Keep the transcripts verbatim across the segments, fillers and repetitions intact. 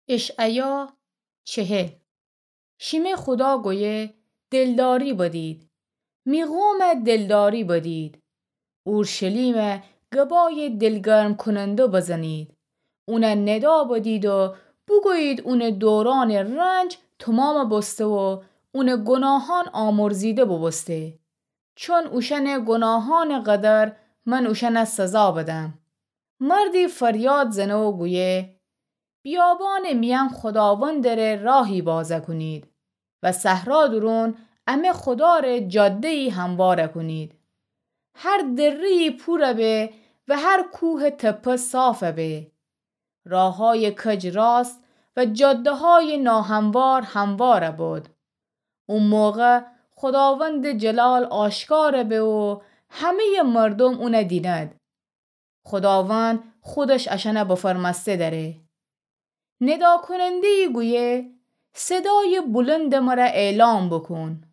اشعیا چهل. شیمه خودا گویه: دلداری بدید، می قومه دلداری بدید. اورشلیمه گبای دلگرم‌کننده بزنید. اونه ندا بدید و بوگویید اونه دورانٚ رنج تومامٚ بوسته و اونه گناهان آمرزیده بوبوسته. چون اوشأنٚ گناهانٚ قدر من اوشأنه سزا بدم. مردی فریاد زنه و گویه: بیابانٚ میأن خوداوندٚره راهی بازه کونید و صحرا دورون امه خودا ره جاده‌یی همواره کونید. هر دره‌یی پوره به و هر کوهٚ تپه صافه به. راه‌هایٚ کج راست و جاده‌هایٚ ناهموار همواره بد. او موقع خوداوندٚ جلال آشکاره به و همه‌یٚ مردوم اونه دینید. خوداوند خودش اشأنه بفرمأسته دأره. نداکوننده‌یی گویه: صدایٚ بلندٚ مره اعلام بوکون.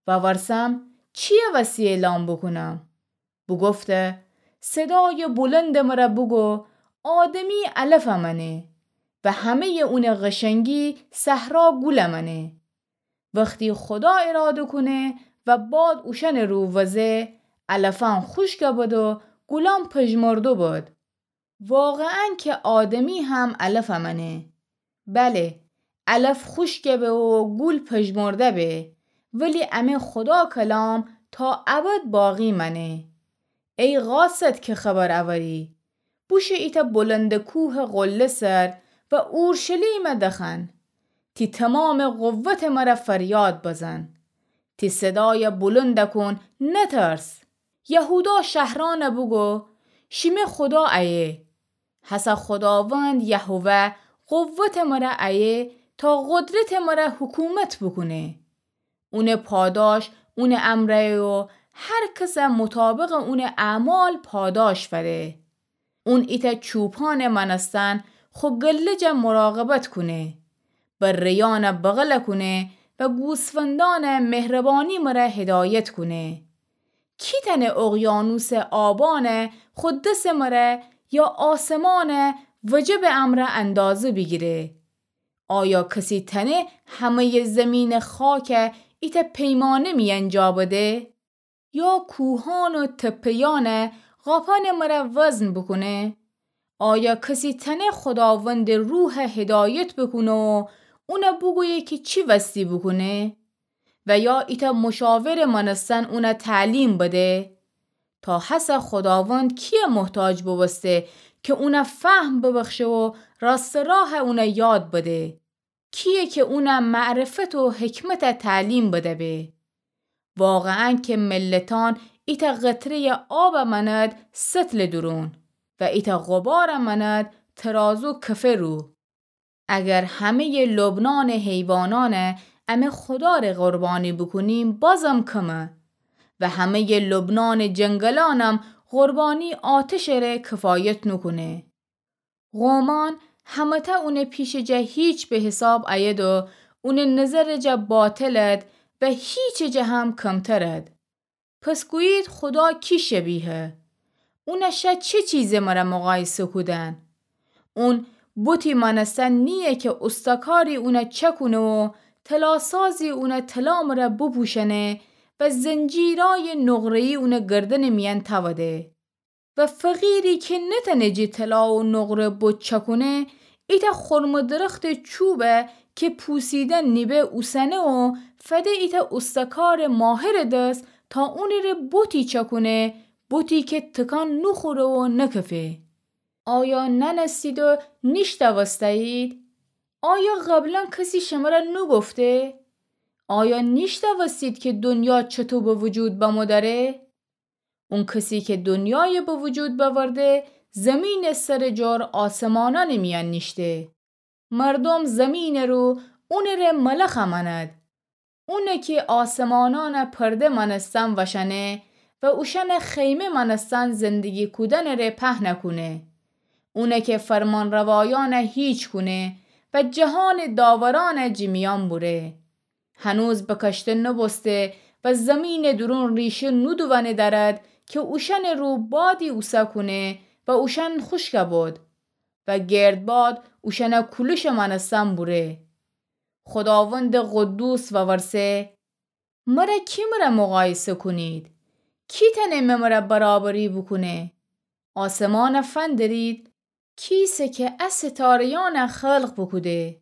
وورسم: چی‌یٚ وستی اعلام بوکونم؟ بوگفته: صدایٚ بلندٚ مره بوگو آدمی علفه مأنه و همه‌یٚ اونٚ قشنگی صحرا گوله مأنه. وختی خودا اراده کونه و باد اوشأنٚ رو وزه، علفأن خوشکه بد و گولأن پژمرده بد. واقعاً که آدمی هم علفه مأنه. بله، علف خوشکه به و گول پژمرده به، ولی امه خودا کلام تا ابد باقی مأنه. ای قاصد که خبر اوری، بوشو ایتأ بلندٚ کوهٚ قله سر و اورشلیمه دخوأن. تی تومامٚ قوتٚ مره فریاد بزن. تی صدایه بلند کون، نترس. یهودا شهرأنه بوگو: شیمه خودا ایه. هسه خوداوند یهوه قوتٚ مره ایه تا قدرتٚ مره حکومت بوکونه. اونٚ پاداش اونٚ امرأیه و هر کسه مطابقٚ اونٚ اعمال پاداش فده. اون ایتأ چوپانٚ مأنستن خو گله جا مراقبت کونه، بره‌یأنه بغل کونه و گوسفندأنه مهربانی مره هدایت کونه. کی تأنه اقیانوسٚ آبأنه خو دسٚ مره یا آسمانه وجبٚ امرأ اندازه بیگیره؟ آیا کسی تأنه همه‌یٚ زیمینٚ خاکه ایتأ پیمانه میأن جا بده؟ یا کوهأن و تپه‌یأنه قاپأنٚ مره وزن بوکونه؟ آیا کسی تأنه خوداوندٚ روحه هدایت بوکونه و اونه بوگویه کی چی وستی بوکونه؟ و یا ایتأ مشاورٚ مأنستن اونه تعلیم بده؟ تا هسه خوداوند کیه محتاج بوبوسته که اونه فهم ببخشه و راستٚ راه اونه یاد بده؟ کیه که اونه معرفت و حکمته تعلیم بده به؟ واقعاً که ملتأن ایتأ قطره‌یٚ آبه مأند سطلٚ دورون و ایتأ غباره مأند ترازو کفه رو. اگر همه‌یٚ لبنانٚ حیوانأنه امه خودا ره قربانی بوکونیم، بازم کمه و همه‌یٚ لبنانٚ جنگلأنم قربانی آتشه ره کفایت نوکونه. قومأن همه‌تأ اونٚ پیشٚ جا هیچ به حساب ایید و اونٚ نظرٚ جا باطلد و هیچٚ جا هم کمترد. پس گویید خودا کی شبیهه؟ اونه شه چه چیزٚ مره مقایسه کودن؟ اون بتی مأنستن نییه که اوستاکاری اونه چکونه و طلاسازی اونه طلا مره بوپوشأنه و زنجیرأیٚ نقره‌یی اونٚ گردنٚ میأن تأوده. و فقیری که نتأنه جٚه طلا و نقره بت چکونه، ایتأ خرمٚ درختٚ چوبه که پوسیدن نیبه اوسنه و فده ایتأ اوستاکارٚ ماهرٚ دس تا اونٚ ره بتی چکونه، بتی که تکان نوخوره و نکفه. آیا نأنستید و نیشتأوسته‌یید؟ آیا قبلاً کسی شمره نوگفته؟ آیا نیشتأوستید که دنیا چطو به وجود بمو دأره؟ اون کسی که دنیای به وجود بأورده، زیمینٚ سرٚ جور آسمانأنٚ میأن نیشته. مردوم زیمینٚ رو اونٚ ره ملخ مأند. اونه که آسمانأنه پرده مأنستن وشأنه و اوشأنه خیمه مأنستن زندگی کودنٚ ره پهنه کونه. اونه که فرمانروایأنه هیچ کونه و جهانٚ داورأنه جٚه میأن بوره. هنوز بکشته نوبوسته و زیمینٚ دورون ریشه نودوأنه دأرد که اوشأنٚ رو بادی اوسه کونه و اوشأن خوشکه بد و گردباد اوشأنه کولشٚ مأنستن بوره. خوداوندٚ قدوس وورسه: مره کی مره مقایسه کونید؟ کی تأنه مه مره برابری بوکونه؟ آسمانه فندرید، کیسه که ا ستاره‌یأنه خلق بوکوده،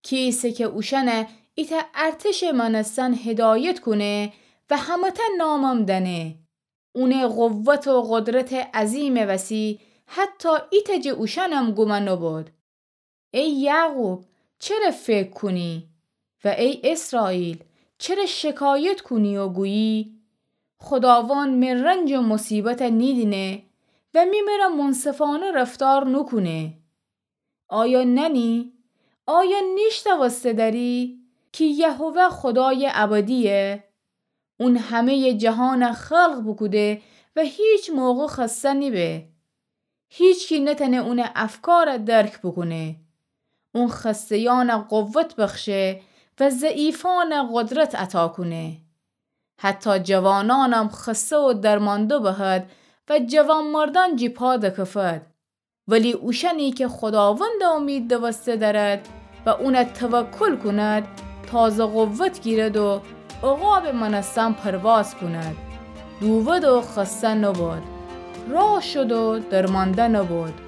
کیسه که اوشأنه ایتأ ارتشٚ مأنستن هدایت کونه و همه‌تأ نامم دأنه. اونٚ قوت و قدرتٚ عظیمٚ وسی حتی ایتأ جٚه اوشأنم گومه نوبود. ای یعقوب، چره فکر کونی؟ و ای اسرائیل، چره شکایت کونی و گویی: خوداوند می رنج و مصیبته نیدینه و می مره منصفانه رفتار نوکونه؟ آیا نأنی؟ آیا نیشنوسته دأری کی یهوه خودایٚ ابدییه؟ اون همه‌یٚ جهانَ خلق بوکوده و هیچ موقع خسته نیبه. هیچکی نتأنه اونٚ افکارَ درک بوکونه. اون خسته‌یأنَ قوت بخشه و ضعیفأنَ قدرت عطا کونه. حتی جوانأنم خسته و درمانده بهد و جوانمردأن جی پا دکفد. ولی اوشأنی که خوداوندَ امید دوسته دأرد و اونَ توکل کونید، تازه قوت گیرید و عقابٚ مأنستن پرواز کونید. دوود و خسته نبید، راه شد و درمانده نبید.